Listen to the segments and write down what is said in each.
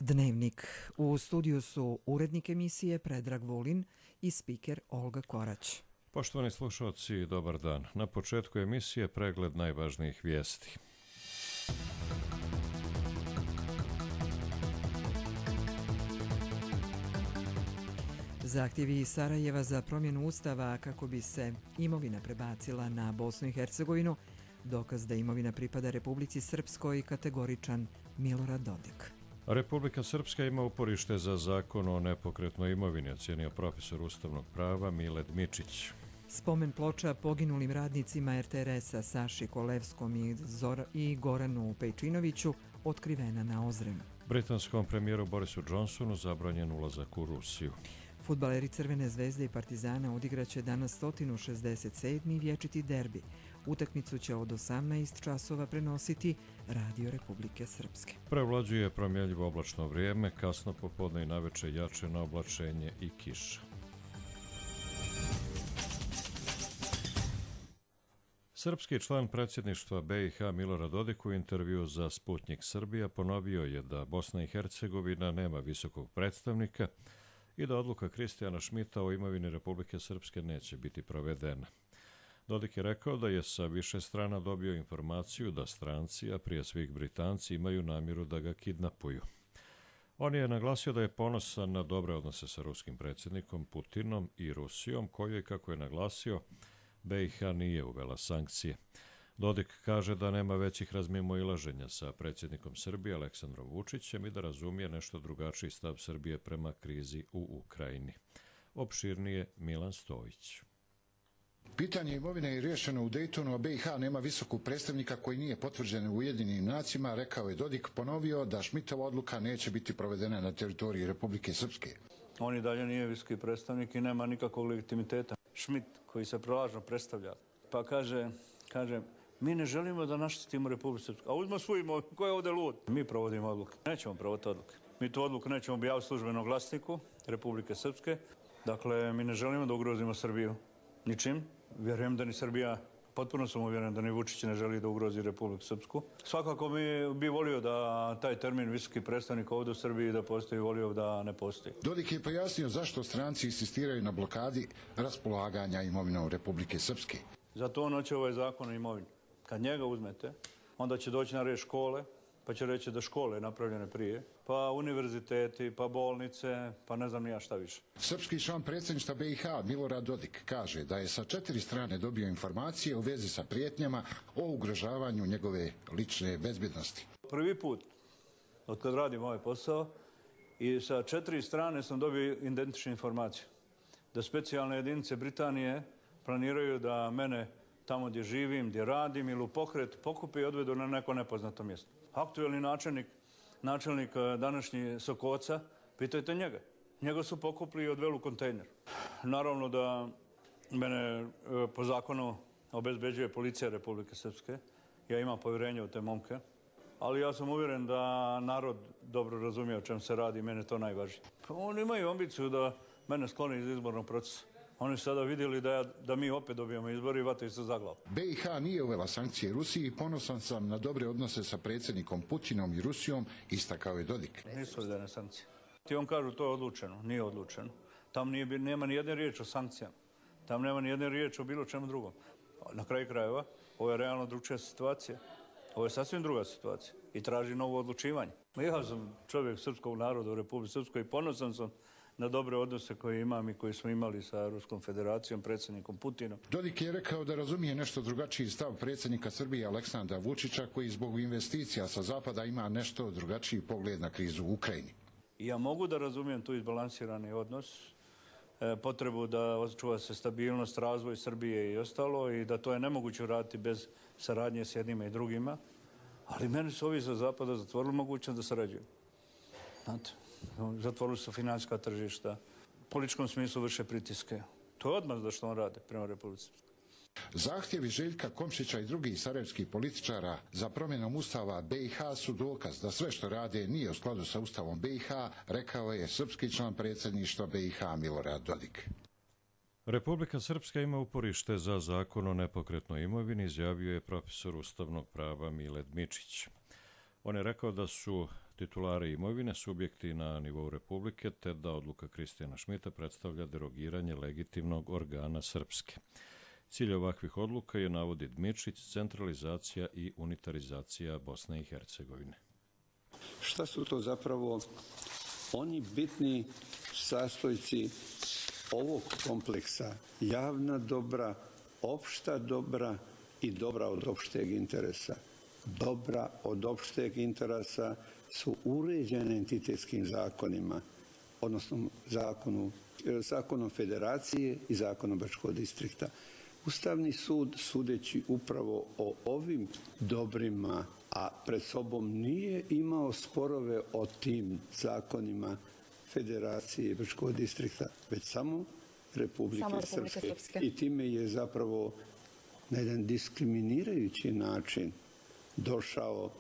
Dnevnik. U studiju su urednik emisije Predrag Vulin i spiker Olga Korać. Poštovani slušalci, dobar dan. Na početku emisije pregled najvažnijih vijesti. Zahtjevi iz Sarajeva za promjenu ustava kako bi se imovina prebacila na Bosnu i Hercegovinu, dokaz da imovina pripada Republici Srpskoj, kategoričan Milorad Dodik. Republika Srpska ima uporište za zakon o nepokretnoj imovini, ocenio profesor ustavnog prava Mile Dmičić. Spomen ploča poginulim radnicima RTRS-a Saši Kolevskom i Goranu Pejčinoviću otkrivena na Ozrenu. Britanskom premijeru Borisu Johnsonu zabranjen ulazak u Rusiju. Fudbaleri Crvene zvezde i Partizana odigraće danas 167. vječiti derbi. Utakmicu će od 18 časova prenositi Radio Republike Srpske. Prevlađuje promjenljivo oblačno vrijeme, kasno popodne i naveče jače na oblačenje i kiša. Srpski član predsjedništva BiH Milorad Dodik u intervju za Sputnjik Srbija ponovio je da Bosna i Hercegovina nema visokog predstavnika i da odluka Kristijana Šmita o imovini Republike Srpske neće biti provedena. Dodik je rekao da je sa više strana dobio informaciju da stranci, a prije svih Britanci, imaju namjeru da ga kidnapuju. On je naglasio da je ponosan na dobre odnose sa ruskim predsjednikom Putinom i Rusijom, kojoj, kako je naglasio, BiH nije uvela sankcije. Dodik kaže da nema većih razmimoilaženja sa predsjednikom Srbije Aleksandrom Vučićem i da razumije nešto drugačiji stav Srbije prema krizi u Ukrajini. Opširnije Milan Stojić. Pitanje imovine je riješeno u Dejtonu, a BiH nema visokog predstavnika koji nije potvrđen u Ujedinjenim nacijama, rekao je Dodik, ponovio da Šmitova odluka neće biti provedena na teritoriji Republike Srpske. On i dalje nije visoki predstavnik i nema nikakvog legitimiteta. Šmit, koji se prelažno predstavlja, pa kaže, mi ne želimo da naštetimo Republiku Srpsku. A uzmo svoju imovinu, ko je ovdje lud? Mi provodimo odluke. Nećemo provoditi odluke. Mi tu odluku nećemo objaviti u službenom glasniku Republike Srpske. Dakle, mi ne želimo da ugrozimo Srbiju ničim. Vjerujem da ni Srbija, potpuno sam uvjeren da ni Vučić ne želi da ugrozi Republiku Srpsku. Svakako bi volio da taj termin visoki predstavnik ovdje u Srbiji da postoji, volio da ne postoji. Dodik je pojasnio zašto stranci insistiraju na blokadi raspolaganja imovinom Republike Srpske. Zato on hoće ovaj zakon o imovini. Kad njega uzmete, onda će doći na red škole, pa će reći da škole napravljene prije, pa univerziteti, pa bolnice, pa ne znam ni ja šta više. Srpski član predsjedništva BiH Milorad Dodik kaže da je sa 4 strane dobio informacije u vezi sa prijetnjama o ugrožavanju njegove lične bezbjednosti. Prvi put od kad radim ovaj posao i sa 4 strane sam dobio identičnu informaciju. Da specijalne jedinice Britanije planiraju da mene tamo gdje živim, gdje radim ili u pokret pokupi i odvedu na neko nepoznato mjesto. Aktuelni načelnik današnji Sokoca, pitajte njega. Njega su pokupili i odveli u kontejner. Naravno da mene po zakonu obezbeđuje policija Republike Srpske. Ja imam povjerenje u te momke. Ali ja sam uvjeren da narod dobro razumije o čem se radi i mene to najvažnije. Oni imaju ambiciju da mene sklone iz izbornog procesa. Oni su sada vidjeli da mi opet dobijemo izbor i vataju se za glavu. BiH nije uvela sankcije Rusiji i ponosan sam na dobre odnose sa predsjednikom Putinom i Rusijom, istakao je Dodik. Nisu uvedene sankcije. Ti on kažu to je odlučeno, nije odlučeno. Tam nema ni jedne riječi o sankcijama. Tam nema ni jedne riječi o bilo čemu drugom. Na kraju krajeva, ovo je realno drugčija situacija. Ovo je sasvim druga situacija i traži novo odlučivanje. Ja sam čovjek srpskog naroda u Republici Srpskoj i ponosan sam na dobre odnose koje imam i koje smo imali sa Ruskom federacijom, predsjednikom Putinom. Dodik je rekao da razumije nešto drugačiji stav predsjednika Srbije Aleksandra Vučića, koji zbog investicija sa zapada ima nešto drugačiji pogled na krizu u Ukrajini. Ja mogu da razumijem tu izbalansirani odnos, potrebu da očuva se stabilnost, razvoj Srbije i ostalo i da to je nemoguće uraditi bez saradnje s jednima i drugima, ali meni su ovi sa zapada zatvorili mogućnost da sarađuju. Znate, zatvorili su financijska tržišta, u političkom smislu vrše pritiske. To je odmah da što on rade prema Republici. Zahtjevi Željka Komšića i drugih sarajevskih političara za promjenom ustava BiH su dokaz da sve što rade nije u skladu sa ustavom BiH, rekao je srpski član predsjedništva BiH Milorad Dodik. Republika Srpska ima uporište za zakon o nepokretnoj imovini, izjavio je profesor ustavnog prava Mile Dmičić. On je rekao da su titulari imovine, subjekti na nivou Republike, te da odluka Kristijana Šmita predstavlja derogiranje legitimnog organa Srpske. Cilj ovakvih odluka je, navodi Dmičić, centralizacija i unitarizacija Bosne i Hercegovine. Šta su to zapravo oni bitni sastojci ovog kompleksa? Javna dobra, opšta dobra i dobra od opšteg interesa. Dobra od opšteg interesa su uređene entitetskim zakonima, odnosno zakonom federacije i zakonom Bačkog distrikta. Ustavni sud, sudeći upravo o ovim dobrima, a pred sobom nije imao sporove o tim zakonima federacije i Bačkog distrikta, već samo Republike Srpske. I time je zapravo na jedan diskriminirajući način došao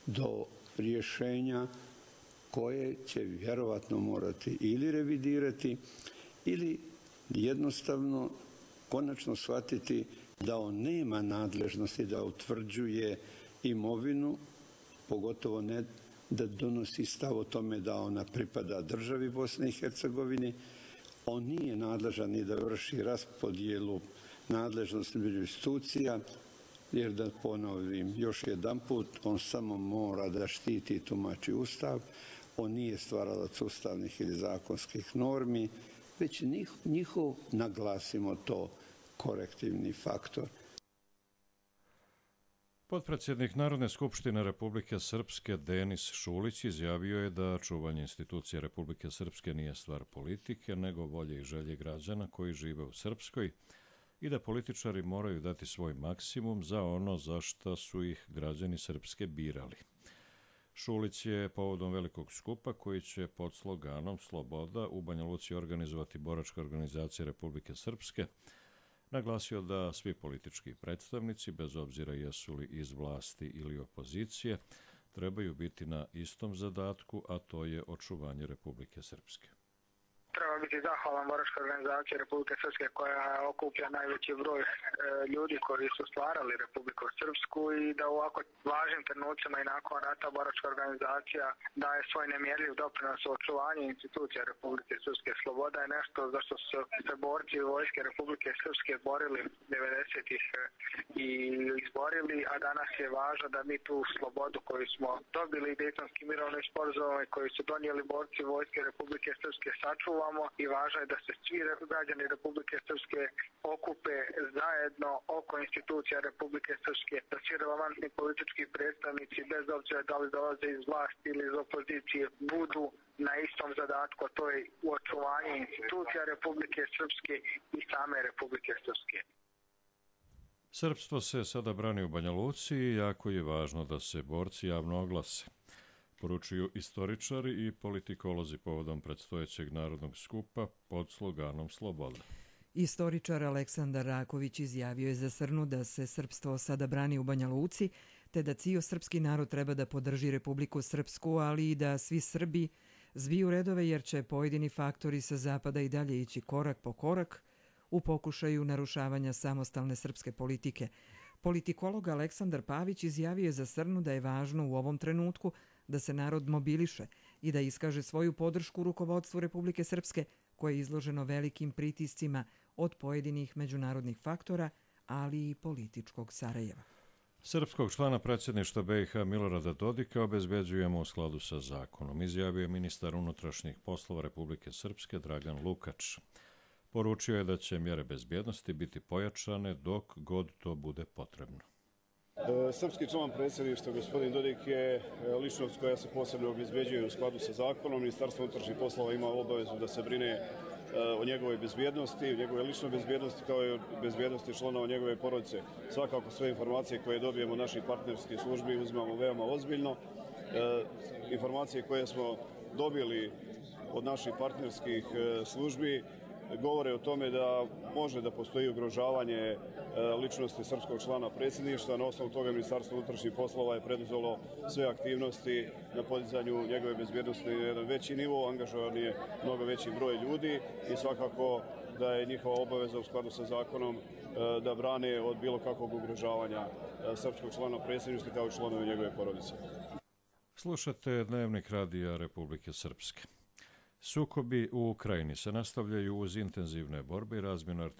do rješenja koje će vjerovatno morati ili revidirati ili jednostavno konačno shvatiti da on nema nadležnosti da utvrđuje imovinu, pogotovo ne da donosi stav o tome da ona pripada državi Bosne i Hercegovine. On nije nadležan ni da vrši raspodjelu nadležnosti među institucija, jer da ponovim još jedanput, on samo mora da štiti i tumači Ustav. On nije stvaralac ustavnih ili zakonskih normi, već njihov, naglasimo to, korektivni faktor. Potpredsjednik Narodne skupštine Republike Srpske Denis Šulić izjavio je da čuvanje institucija Republike Srpske nije stvar politike, nego volje i želje građana koji žive u Srpskoj i da političari moraju dati svoj maksimum za ono za što su ih građani Srpske birali. Šulić je povodom velikog skupa koji će pod sloganom Sloboda u Banja Luci organizovati boračka organizacija Republike Srpske naglasio da svi politički predstavnici, bez obzira jesu li iz vlasti ili opozicije, trebaju biti na istom zadatku, a to je očuvanje Republike Srpske. Treba biti zahvalan boračkoj organizaciji Republike Srpske koja okuplja najveći broj ljudi koji su stvarali Republiku Srpsku i da u ovako važnim trenucima i nakon rata boračka organizacija daje svoj nemjerljiv doprinos u očuvanju institucija Republike Srpske. Sloboda je nešto za što su se borci vojske Republike Srpske borili 90-ih i izborili, a danas je važno da mi tu slobodu koju smo dobili Dejtonskim mirovnim sporazumom i koju su donijeli borci vojske Republike Srpske sačuvamo, i važno je da se svi građani Republike Srpske okupe zajedno oko institucija Republike Srpske, da svi relevantni politički predstavnici, bez obzira da li dolaze iz vlasti ili iz opozicije, budu na istom zadatku, a to je očuvanje institucija Republike Srpske i same Republike Srpske. Srpstvo se sada brani u Banja Luci i jako je važno da se borci javno oglase, poručuju istoričari i politikolozi povodom predstojećeg narodnog skupa pod sloganom Sloboda. Istoričar Aleksandar Raković izjavio je za Srnu da se srpstvo sada brani u Banja Luci, te da cijel srpski narod treba da podrži Republiku Srpsku, ali i da svi Srbi zviju redove jer će pojedini faktori sa zapada i dalje ići korak po korak u pokušaju narušavanja samostalne srpske politike. Politikolog Aleksandar Pavić izjavio je za Srnu da je važno u ovom trenutku da se narod mobiliše i da iskaže svoju podršku rukovodstvu Republike Srpske koje je izloženo velikim pritiscima od pojedinih međunarodnih faktora, ali i političkog Sarajeva. Srpskog člana predsjedništva BiH Milorada Dodika obezbeđujemo u skladu sa zakonom, izjavio je ministar unutrašnjih poslova Republike Srpske Dragan Lukač. Poručio je da će mjere bezbjednosti biti pojačane dok god to bude potrebno. Srpski član predsjedništva, gospodin Dodik, je ličnost koja se posebno obezbeđuje u skladu sa zakonom. Ministarstvo unutrašnjih poslova ima obavezu da se brine o njegovoj bezbjednosti, o njegove ličnoj bezbjednosti, kao i o bezbjednosti članova njegove porodice. Svakako sve informacije koje dobijemo od naših partnerskih službi uzimamo veoma ozbiljno. Informacije koje smo dobili od naših partnerskih službi govore o tome da može da postoji ugrožavanje ličnosti srpskog člana predsjedništva. Na osnovu toga Ministarstvo unutrašnjih poslova je preduzelo sve aktivnosti na podizanju njegove bezbjednosti na jedan veći nivo, angažovan je mnogo veći broj ljudi i svakako da je njihova obaveza u skladu sa zakonom da brane od bilo kakvog ugrožavanja srpskog člana predsjedništva kao i članova njegove porodice. Slušate Dnevnik radija Republike Srpske. Sukobi u Ukrajini se nastavljaju uz intenzivne borbe i razmjenu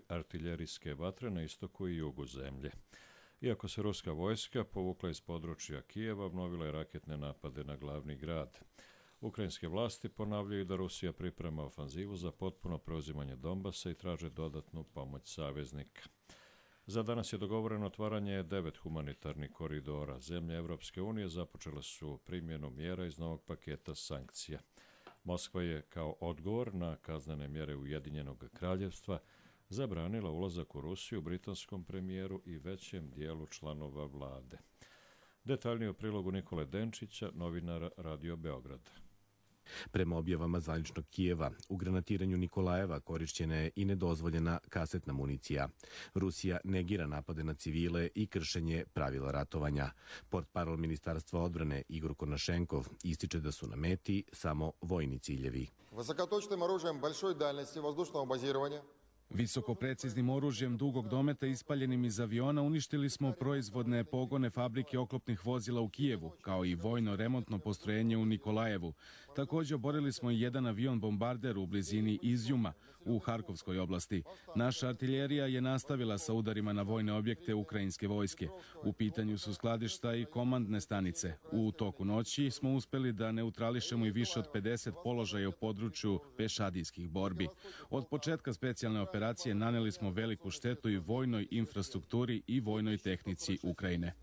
artiljerijske vatre na istoku i jugu zemlje. Iako se ruska vojska povukla iz područja Kijeva, obnovila je raketne napade na glavni grad. Ukrajinske vlasti ponavljaju da Rusija priprema ofanzivu za potpuno preuzimanje Donbasa i traže dodatnu pomoć saveznika. Za danas je dogovoreno otvaranje 9 humanitarnih koridora. Zemlje Evropske unije započele su primjenu mjera iz novog paketa sankcija. Moskva je kao odgovor na kaznene mjere Ujedinjenog kraljevstva zabranila ulazak u Rusiju britanskom premijeru i većem dijelu članova vlade. Detaljnije o prilogu Nikole Denčića, novinara Radio Beograd. Prema objavama zvaničnog Kijeva, u granatiranju Nikolajeva korišćena je i nedozvoljena kasetna municija. Rusija negira napade na civile i kršenje pravila ratovanja. Portparol Ministarstva odbrane Igor Konašenkov ističe da su na meti samo vojni ciljevi. Высокоточным оружием большой дальности воздушного базирования Visokopreciznim oružjem dugog dometa ispaljenim iz aviona uništili smo proizvodne pogone fabrike oklopnih vozila u Kijevu, kao i vojno-remontno postrojenje u Nikolajevu. Također oborili smo i jedan avion bombarder u blizini Izjuma u Harkovskoj oblasti. Naša artiljerija je nastavila sa udarima na vojne objekte ukrajinske vojske. U pitanju su skladišta i komandne stanice. U toku noći smo uspjeli da neutrališemo i više od 50 položaja u području pešadijskih borbi. Od početka specijalne operacije naneli smo veliku štetu i vojnoj infrastrukturi i vojnoj tehnici Ukrajine.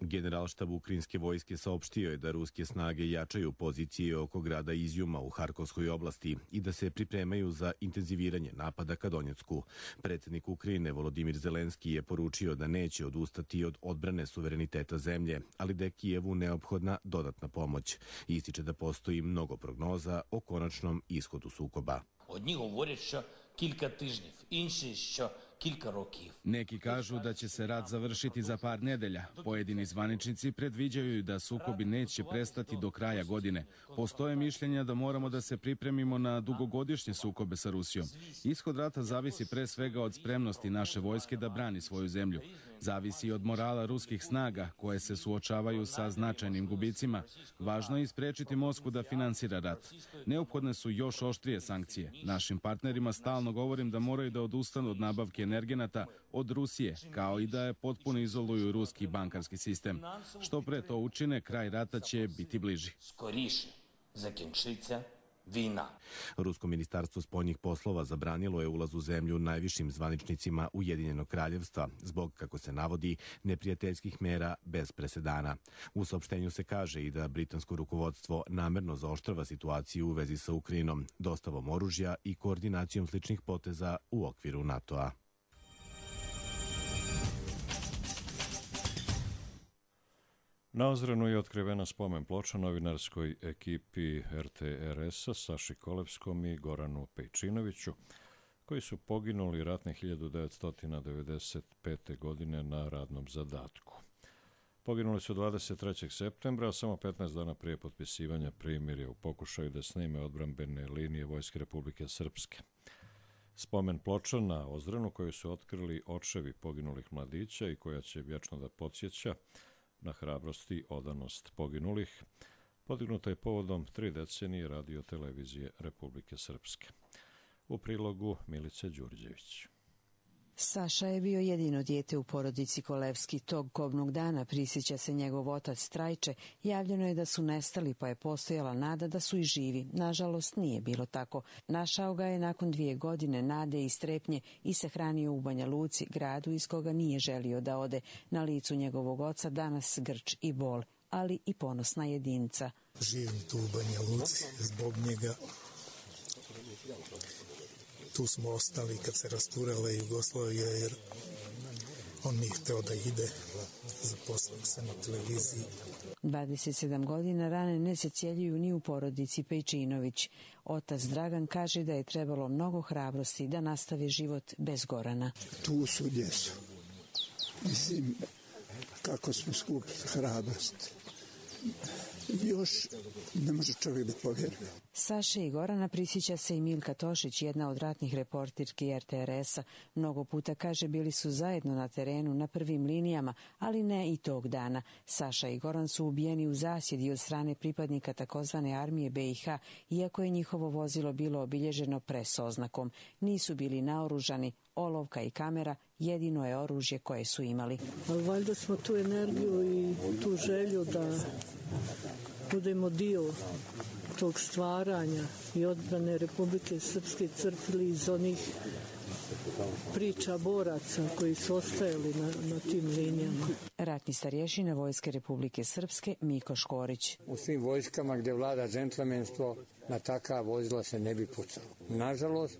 Generalštab ukrajinske vojske saopštio je da ruske snage jačaju pozicije oko grada Izjuma u Harkovskoj oblasti i da se pripremaju za intenziviranje napada ka Donjecku. Predsjednik Ukrajine Volodimir Zelenski je poručio da neće odustati od odbrane suvereniteta zemlje, ali da je Kijevu neophodna dodatna pomoć. Ističe da postoji mnogo prognoza o konačnom ishodu sukoba. Одні говорять, що кілька тижнів, інші, що кілька років. Neki kažu da će se rat završiti za par nedelja. Pojedini zvaničnici predviđaju da sukobi neće prestati do kraja godine. Postoje mišljenja da moramo da se pripremimo na dugogodišnje sukobe sa Rusijom. Ishod rata zavisi pre svega od spremnosti naše vojske da brani svoju zemlju. Zavisi od morala ruskih snaga koje se suočavaju sa značajnim gubicima. Važno je isprečiti Moskvu da finansira rat. Neophodne su još oštrije sankcije. Našim partnerima stalno govorim da moraju da odustanu od nabavke energenata od Rusije, kao i da je potpuno izoluju ruski bankarski sistem. Što pre to učine, kraj rata će biti bliži. Скоріше закінчиться війна. Rusko ministarstvo spoljnih poslova zabranilo je ulaz u zemlju najvišim zvaničnicima Ujedinjenog kraljevstva zbog, kako se navodi, neprijateljskih mera bez presedana. U saopštenju se kaže i da britansko rukovodstvo namerno zaoštrava situaciju u vezi sa Ukrajinom, dostavom oružja i koordinacijom sličnih poteza u okviru NATO-a. Na Ozrenu je otkrivena spomen ploča novinarskoj ekipi RTRS-a Saši Kolevskom i Goranu Pejčinoviću, koji su poginuli ratne 1995. godine na radnom zadatku. Poginuli su 23. septembra, a samo 15 dana prije potpisivanja primirja u pokušaju da snime odbrambene linije Vojske Republike Srpske. Spomen ploča na Ozrenu koju su otkrili očevi poginulih mladića i koja će vječno da podsjeća na hrabrost i odanost poginulih, podignuta je povodom 3 decenije radio televizije Republike Srpske. U prilogu Milice Đurđević. Saša je bio jedino dijete u porodici Kolevski. Tog kobnog dana prisjeća se njegov otac Trajče. Javljeno je da su nestali, pa je postojala nada da su i živi. Nažalost, nije bilo tako. Našao ga je nakon 2 godine nade i strepnje i sahranio u Banja Luci, gradu iz koga nije želio da ode. Na licu njegovog oca danas grč i bol, ali i ponosna jedinca. Živim tu u Banja Luci zbog njega. Tu smo ostali kad se rasturala Jugoslavija, jer on nije hteo da ide, zaposlao se na televiziji. 27 godina rane ne se cijeljuju ni u porodici Pejčinović. Otac Dragan kaže da je trebalo mnogo hrabrosti da nastavi život bez Gorana. Tu su djecu. Mislim, kako smo skupili hrabrost. još ne može čovjek da povjeruje. Saše i Gorana prisjeća se i Milka Tošić, jedna od ratnih reportirki RTRS-a. Mnogo puta, kaže, bili su zajedno na terenu, na prvim linijama, ali ne i tog dana. Saša i Goran su ubijeni u zasjedi od strane pripadnika takozvane armije BiH, iako je njihovo vozilo bilo obilježeno pres oznakom. Nisu bili naoružani, olovka i kamera jedino je oružje koje su imali. Ali valjda smo tu energiju i tu želju da budemo dio tog stvaranja i odbrane Republike Srpske crpili iz onih priča boraca koji su ostajali na tim linijama. Ratni starješina Vojske Republike Srpske Miko Škorić. U svim vojskama gdje vlada džentlmenstvo na takav vozila se ne bi pucalo. Nažalost,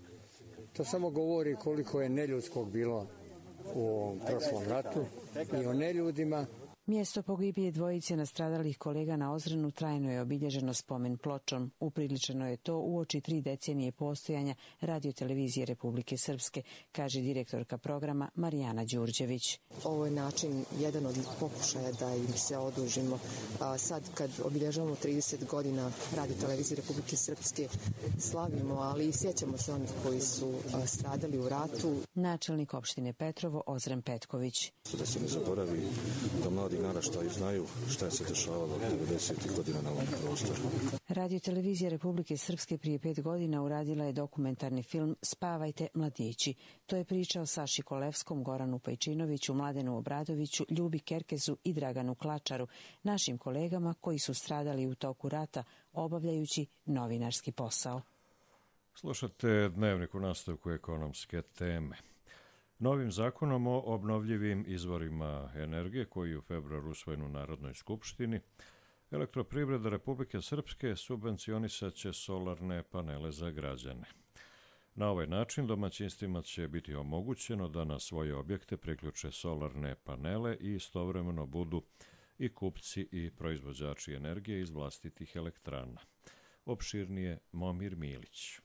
to samo govori koliko je neljudskog bilo u ovom prošlom ratu i o neljudima. Mjesto pogibije dvojice nastradalih kolega na Ozrenu trajno je obilježeno spomen pločom. Upriličeno je to uoči 3 decenije postojanja radiotelevizije Republike Srpske, kaže direktorka programa Marijana Đurđević. Ovo je način, jedan od pokušaja da im se odužimo. Sad kad obilježavamo 30 godina radiotelevizije Republike Srpske, slavimo, ali i sjećamo se onih koji su stradali u ratu. Načelnik opštine Petrovo Ozren Petković. Da se ne zaboravi da mladi naraštaji znaju šta se dešavalo 90. godina na ovom prostoru. Radiotelevizija Republike Srpske prije 5 godina uradila je dokumentarni film Spavajte mladići. To je priča o Saši Kolevskom, Goranu Pajčinoviću, Mladenu Obradoviću, Ljubi Kerkezu i Draganu Klačaru, našim kolegama koji su stradali u toku rata obavljajući novinarski posao. Slušate Dnevnik u nastavku ekonomske teme. Novim zakonom o obnovljivim izvorima energije, koji je u februaru usvojen u Narodnoj skupštini, Elektroprivreda Republike Srpske subvencionisat će solarne panele za građane. Na ovaj način domaćinstvima će biti omogućeno da na svoje objekte priključe solarne panele i istovremeno budu i kupci i proizvođači energije iz vlastitih elektrana. Opširnije Momir Milić.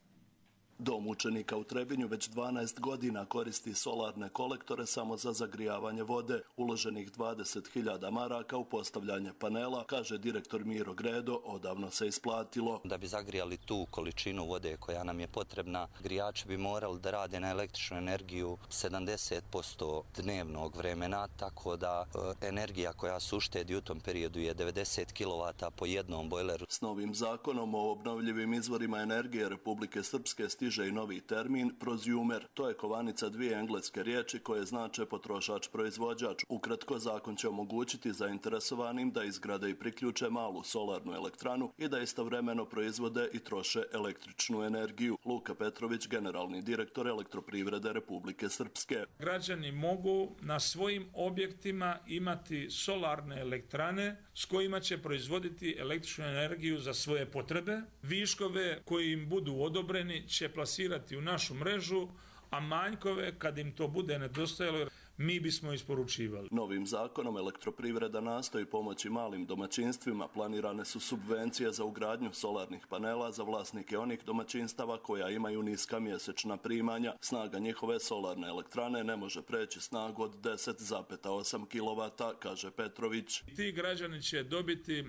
Dom učenika u Trebinju već 12 godina koristi solarne kolektore samo za zagrijavanje vode, uloženih 20.000 maraka u postavljanje panela, kaže direktor Miro Gredo, odavno se isplatilo. Da bi zagrijali tu količinu vode koja nam je potrebna, grijači bi morali da rade na električnu energiju 70% dnevnog vremena, tako da energija koja se uštedi u tom periodu je 90 kW po jednom bojleru. S novim zakonom o obnovljivim izvorima energije Republike Srpske stiže i novi termin prozumer. To je kovanica dvije engleske riječi koje znače potrošač-proizvođač. Ukratko, zakon će omogućiti zainteresovanim da izgrade i priključe malu solarnu elektranu i da istovremeno proizvode i troše električnu energiju. Luka Petrović, generalni direktor Elektroprivrede Republike Srpske. Građani mogu na svojim objektima imati solarne elektrane s kojima će proizvoditi električnu energiju za svoje potrebe. Viškove koji im budu odobreni će plasirati u našu mrežu, a manjkove, kad im to bude nedostajalo, mi bismo isporučivali. Novim zakonom Elektroprivreda nastoji pomoći malim domaćinstvima. Planirane su subvencije za ugradnju solarnih panela za vlasnike onih domaćinstava koja imaju niska mjesečna primanja. Snaga njihove solarne elektrane ne može preći snagu od 10,8 kW, kaže Petrović. Ti građani će dobiti,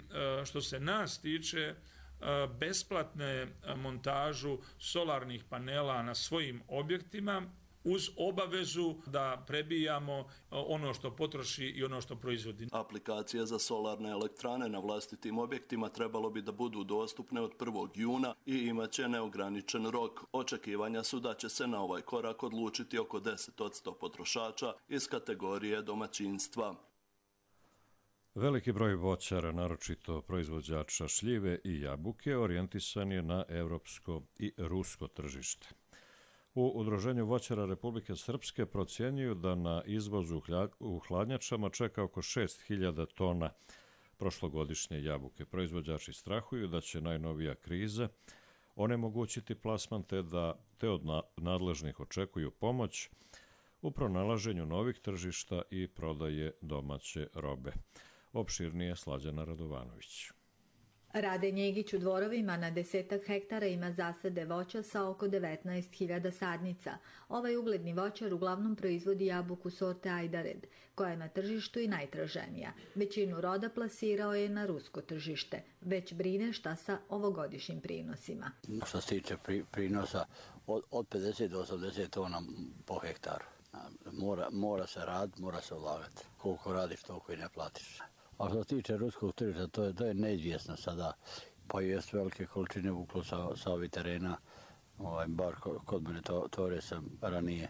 što se nas tiče, besplatne montažu solarnih panela na svojim objektima uz obavezu da prebijamo ono što potroši i ono što proizvodi. Aplikacije za solarne elektrane na vlastitim objektima trebalo bi da budu dostupne od 1. juna i imaće neograničen rok. Očekivanja su da će se na ovaj korak odlučiti oko 10% potrošača iz kategorije domaćinstva. Veliki broj voćara, naročito proizvođača šljive i jabuke, orijentisan je na evropsko i rusko tržište. U Udruženju voćara Republike Srpske procjenjuju da na izvozu u hladnjačama čeka oko 6.000 tona prošlogodišnje jabuke. Proizvođači strahuju da će najnovija kriza onemogućiti plasman te od nadležnih očekuju pomoć u pronalaženju novih tržišta i prodaje domaće robe. Opširnije Slađana Radovanović. Rade Njegić u Dvorovima na 10 hektara ima zasade voća sa oko 19.000 sadnica. Ovaj ugledni voćar uglavnom proizvodi jabuku sorte Ajdared, koja je na tržištu i najtraženija. Većinu roda plasirao je na rusko tržište, već brine šta sa ovogodišnjim prinosima. Što se tiče prinosa, od 50 do 80 tona po hektaru. Mora se raditi, mora se ulagati. Koliko radiš, toliko i ne platiš. A što se tiče ruskog tržišta, to je neizvjesno sada, pa i jest velike količine vuklo sa ovih terena, bar kod mene to sam ranije,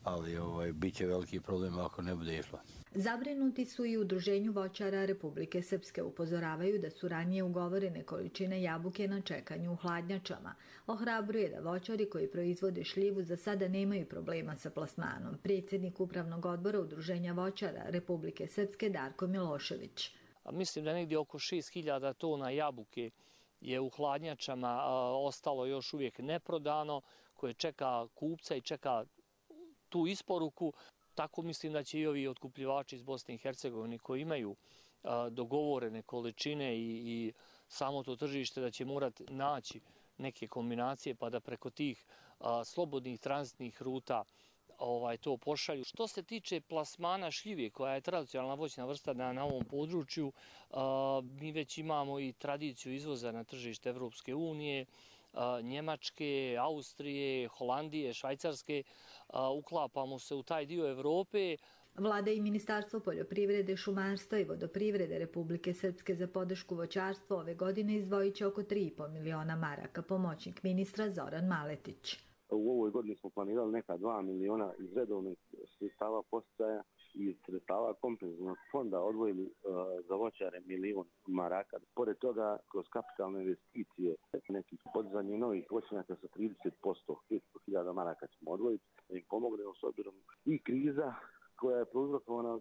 ali bit će veliki problem ako ne bude išlo. Zabrinuti su i u Udruženju voćara Republike Srpske, upozoravaju da su ranije ugovorene količine jabuke na čekanju u hladnjačama. Ohrabruje da voćari koji proizvode šljivu za sada nemaju problema sa plasmanom. Predsjednik Upravnog odbora Udruženja voćara Republike Srpske Darko Milošević. Mislim da negdje oko 6.000 tona jabuke je u hladnjačama ostalo još uvijek neprodano, koje čeka kupca i čeka tu isporuku. Tako mislim da će i ovi otkupljivači iz Bosne i Hercegovine koji imaju dogovorene količine i samo to tržište da će morati naći neke kombinacije pa da preko tih slobodnih tranzitnih ruta to pošalju. Što se tiče plasmana šljive, koja je tradicionalna voćna vrsta na ovom području, mi već imamo i tradiciju izvoza na tržište Evropske unije, Njemačke, Austrije, Holandije, Švajcarske, uklapamo se u taj dio Evrope. Vlada i Ministarstvo poljoprivrede, šumarstva i vodoprivrede Republike Srpske za podršku voćarstvu ove godine izdvojit će oko 3,5 miliona maraka, pomoćnik ministra Zoran Maletić. U ovoj godini smo planirali neka 2 miliona iz redovnih sredstava podsticaja i iz sredstava kompenzivnog fonda odvojili za voćare 1 milion maraka. Pored toga, kroz kapitalne investicije, nekih podizanje novih voćnjaka sa 30%, 500.000 maraka ćemo odvojiti, da im pomognemo s obzirom i kriza koja je prouzrokovana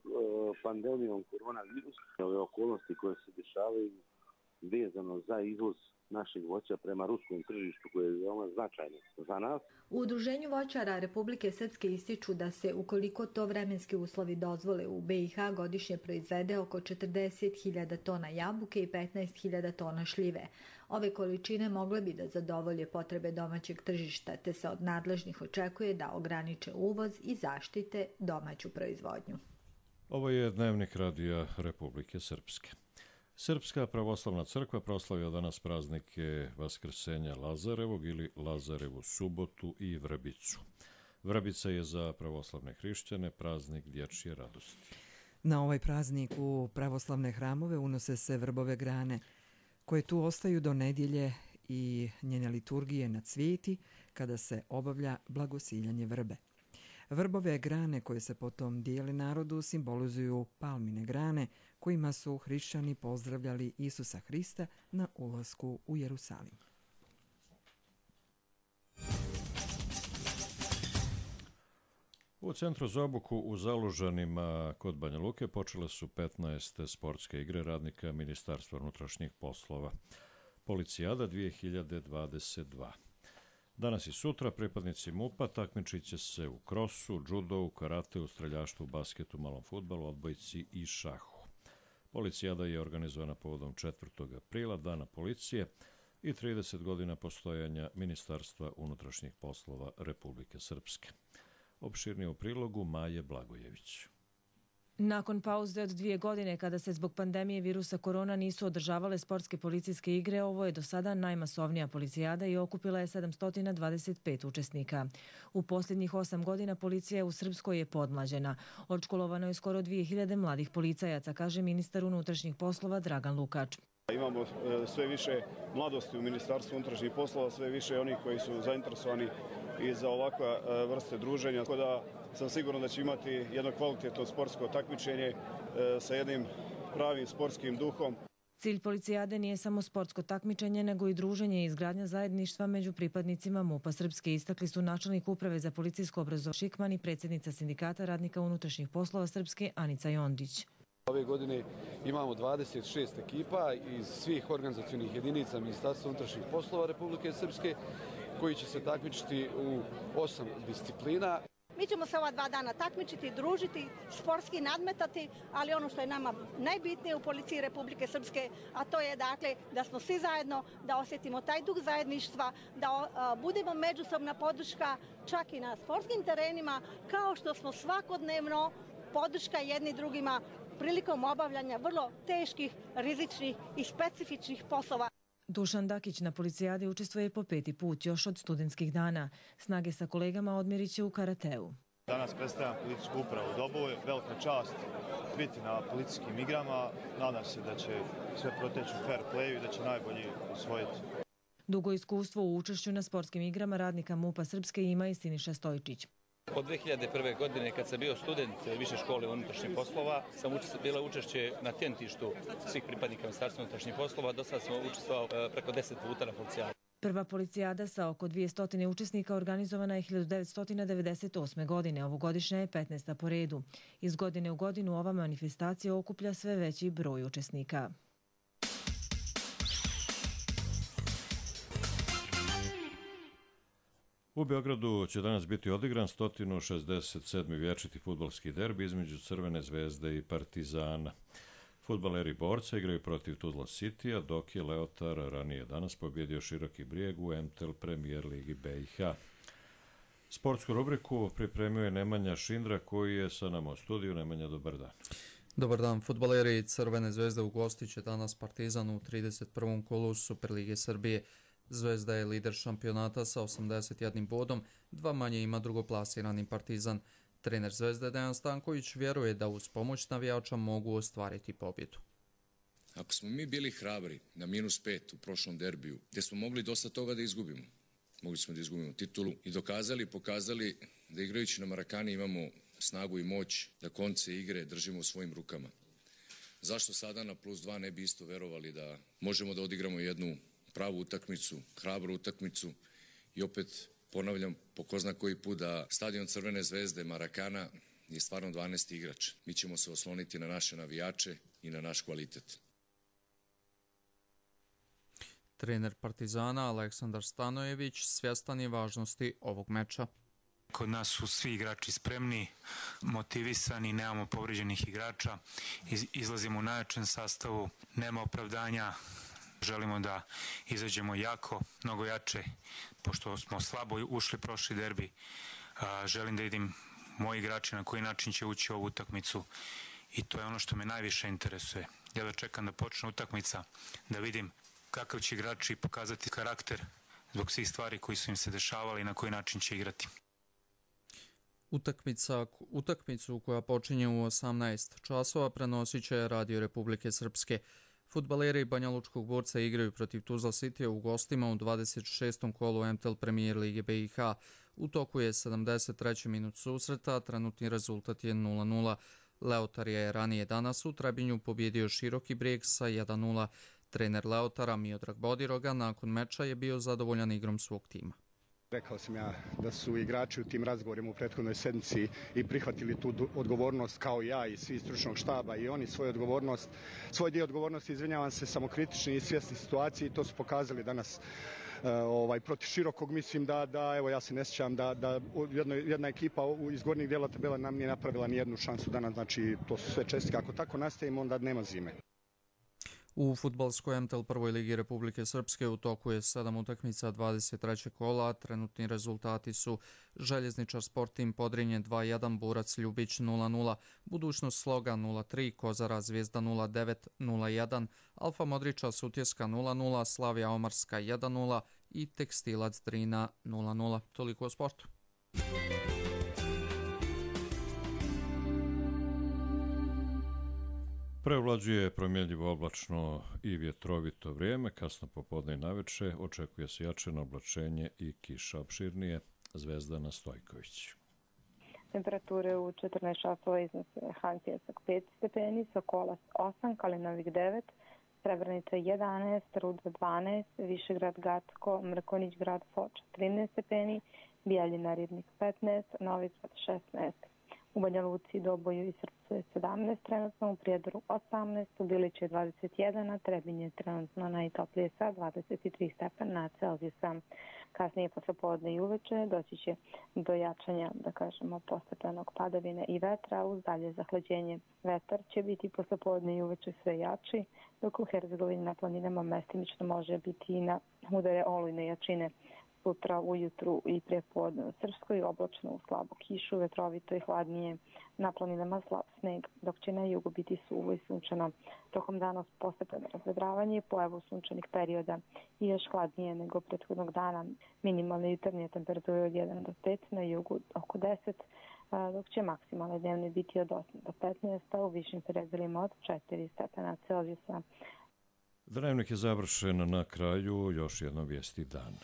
pandemijom koronavirusa, ove okolnosti koje se dešavaju vezano za izvoz našeg voća prema ruskom tržištu koje je veoma značajno za nas. U Udruženju voćara Republike Srpske ističu da se, ukoliko to vremenski uslovi dozvole, u BiH godišnje proizvede oko 40.000 tona jabuke i 15.000 tona šljive. Ove količine mogle bi da zadovolje potrebe domaćeg tržišta, te se od nadležnih očekuje da ograniče uvoz i zaštite domaću proizvodnju. Ovo je Dnevnik Radija Republike Srpske. Srpska pravoslavna crkva proslavlja danas praznike Vaskrsenja Lazarevog ili Lazarevu subotu i Vrbicu. Vrbica je za pravoslavne hrišćane praznik dječje radosti. Na ovaj praznik u pravoslavne hramove unose se vrbove grane, koje tu ostaju do nedjelje i njene liturgije na cvijeti kada se obavlja blagosiljanje vrbe. Vrbove grane koje se potom dijele narodu simbolizuju palmine grane kojima su hrišćani pozdravljali Isusa Hrista na ulasku u Jerusalim. U centru za obuku u Zalužanima kod Banja Luke počele su 15. sportske igre radnika Ministarstva unutrašnjih poslova. Policijada 2022. Danas i sutra pripadnici MUP-a takmičit će se u krosu, džudovu, karateu, streljaštvu, basketu, malom fudbalu, odbojci i šahu. Policijada je organizovana povodom 4. aprila, Dana policije i 30 godina postojanja Ministarstva unutrašnjih poslova Republike Srpske. Opširnije u prilogu Maje Blagojević. Nakon pauze od 2 godine kada se zbog pandemije virusa korona nisu održavale sportske policijske igre, ovo je do sada najmasovnija policijada i okupila je 725 učesnika. U posljednjih 8 godina policija u Srpskoj je podmlađena. Odškolovano je skoro 2000 mladih policajaca, kaže ministar unutrašnjih poslova Dragan Lukač. Imamo sve više mladosti u Ministarstvu unutrašnjih poslova, sve više onih koji su zainteresovani i za ovakva vrste druženja. Tako da sam siguran da će imati jedno kvalitetno sportsko takmičenje sa jednim pravim sportskim duhom. Cilj policijade nije samo sportsko takmičenje, nego i druženje i izgradnja zajedništva među pripadnicima MUP-a Srpske, istakli su načelnik Uprave za policijsko obrazovanje Šikman i predsjednica Sindikata radnika unutrašnjih poslova Srpske Anica Jondić. Ove godine imamo 26 ekipa iz svih organizacionih jedinica Ministarstva unutrašnjih poslova Republike Srpske koji će se takmičiti u 8 disciplina. Mi ćemo se ova 2 dana takmičiti, družiti, sportski nadmetati, ali ono što je nama najbitnije u Policiji Republike Srpske, a to je dakle da smo svi zajedno, da osjetimo taj duh zajedništva, da budemo međusobna podrška čak i na sportskim terenima, kao što smo svakodnevno podrška jedni drugima prilikom obavljanja vrlo teških, rizičnih i specifičnih poslova. Dušan Dakić na policijadi učestvuje po 5. put još od studentskih dana. Snage sa kolegama odmjerit će u karateu. Danas predstavljam policijsku upravu u Doboj. Velika čast biti na policijskim igrama. Nadam se da će sve proteći u fair playu i da će najbolji osvojiti. Dugo iskustvo u učešću na sportskim igrama radnika MUP-a Srpske ima i Siniša Stojčić. Od 2001. godine, kad sam bio student Više škole unutrašnjih poslova, sam bila učešće na tjentištu svih pripadnika Ministarstva unutrašnjih poslova. Do sada sam učestvovao preko 10 puta na policijadi. Prva policijada sa oko 200 učesnika organizovana je 1998. godine. Ovogodišnja je 15. po redu. Iz godine u godinu ova manifestacija okuplja sve veći broj učesnika. U Beogradu će danas biti odigran 167. vječiti fudbalski derbi između Crvene zvezde i Partizana. Fudbaleri Borca igraju protiv Tuzla Citya, dok je Leotar ranije danas pobjedio Široki Brijeg u MTL Premier Ligi BiH. Sportsku rubriku pripremio je Nemanja Šindra, koji je sa nama u studiju. Nemanja, dobar dan. Dobar dan. Fudbaleri Crvene zvezde ugostit će danas Partizan u 31. kolu Superlige Srbije. Zvezda je lider šampionata sa 81 bodom, 2 manje ima drugoplasirani Partizan. Trener Zvezde Dejan Stanković vjeruje da uz pomoć navijača mogu ostvariti pobjedu. Ako smo mi bili hrabri na -5 u prošlom derbiju, gdje smo mogli dosta toga da izgubimo, mogli smo da izgubimo titulu i pokazali da igrajući na Marakani imamo snagu i moć da konce igre držimo u svojim rukama. Zašto sada na +2 ne bi isto verovali da možemo da odigramo jednu pravu utakmicu, hrabru utakmicu i opet ponavljam po ko zna koji put da stadion Crvene zvezde Marakana je stvarno 12. igrač. Mi ćemo se osloniti na naše navijače i na naš kvalitet. Trener Partizana Aleksandar Stanojević svjestan je važnosti ovog meča. Kod nas su svi igrači spremni, motivisani, nemamo povređenih igrača, izlazimo u najjačem sastavu, nema opravdanja. Želimo da izađemo jako, mnogo jače, pošto smo slabo ušli prošli derbi. Želim da vidim moji igrači na koji način će ući u ovu utakmicu i to je ono što me najviše interesuje. Ja da čekam da počne utakmica, da vidim kakav će igrači pokazati karakter zbog svih stvari koji su im se dešavali i na koji način će igrati. Utakmicu koja počinje u 18 časova prenosit će Radio Republike Srpske. Fudbaleri Banja Lučkog Borca igraju protiv Tuzla Citya u gostima u 26. kolu MTL Premier Lige BiH. U toku je 73. minut susreta, trenutni rezultat je 0:0. Leotar je ranije danas u Trebinju pobjedio Široki Brijeg sa 1:0. Trener Leotara Miodrag Bodiroga nakon meča je bio zadovoljan igrom svog tima. Rekao sam ja da su igrači u tim razgovorima u prethodnoj sedmici i prihvatili tu odgovornost kao ja i svi stručnog štaba i oni svoj dio odgovornosti, izvinjavam se, samokritični i svjesni situacije i to su pokazali danas protiv Širokog. Mislim da evo ja se ne sjećam da jedna ekipa iz gornjih dijela tabela nam nije napravila ni jednu šansu danas, znači to su sve čestitke. Ako tako nastavimo onda nema zime. U fudbalskoj MTL prvoj ligi Republike Srpske u toku je 7 utakmica 23. kola. Trenutni rezultati su Željezničar Sport Tim Podrinje 2:1, Burac Ljubić 0:0, Budućnost Sloga 0:3, Kozara Zvijezda 0:9, 0:1, Alfa Modriča Sutjeska 0:0, Slavija Omarska 1:0 i Tekstilac Drina 0:0. Toliko o sportu. Prevlađuje promjenljivo oblačno i vjetrovito vrijeme, kasno popodne i naveče, očekuje se jačeno oblačenje i kiša. Opširnije Zvezdana Stojković. Temperature u 14 časova iznose Hancijesak 5 stepeni, Sokolac 8, Kalinovik 9, Srebrenica 11, Rudva 12, Višegrad Gatko, Mrkonjić Grad Foča 13 stepeni, Bijeljina Ribnik 15, Novi Sad 16. U Banja Luci, Doboju i Srpcu je 17 trenutno, u Prijedoru 18, u Biliću je 21, a Trebinj je trenutno najtoplije sa 23 stepena Celzijusa. Kasnije poslepodne i uveče doći će do jačanja, da kažemo, postepenog padavine i vetra uz dalje zahlađenje. Vetar će biti poslepodne i uveče sve jači, dok u Hercegovini na planinama mestimično može biti i na udare olujne jačine. Sutra ujutru i prepodne u Srpskoj oblačno u slabu kišu, vetrovito i hladnije. Na planinama slab sneg, dok će na jugu biti suvo i sunčano. Tokom dana postepeno razvedravanje i pojavu sunčanih perioda i još hladnije nego prethodnog dana. Minimalne jutarnje temperature od 1 do 5, na jugu oko 10, dok će maksimalne dnevne biti od 8 do 15, a u višim predjelima od 4 stepena Celzijusa. Dnevnik je završen, na kraju još jedno vijesti dana.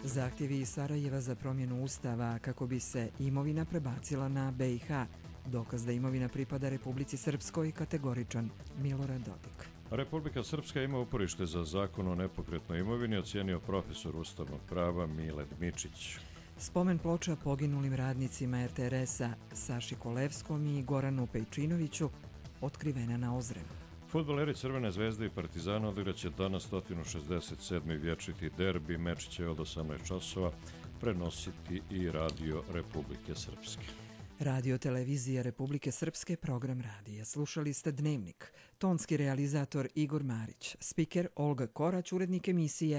Zahtjevi iz Sarajeva za promjenu ustava kako bi se imovina prebacila na BiH. Dokaz da imovina pripada Republici Srpskoj kategoričan Milorad Dodik. Republika Srpska ima uporište za zakon o nepokretnoj imovini, ocijenio profesor ustavnog prava Mile Dmičić. Spomen ploča poginulim radnicima RTRS-a Saši Kolevskom i Goranu Pejčinoviću otkrivena na Ozrenu. Fudbaleri Crvene zvezde i Partizana odigraće danas 167. vječiti derbi. Meč će od 18 časova prenositi i Radio Republike Srpske. Radio televizija Republike Srpske, program radija. Slušali ste Dnevnik. Tonski realizator Igor Marić, spiker Olga Korać, urednik emisije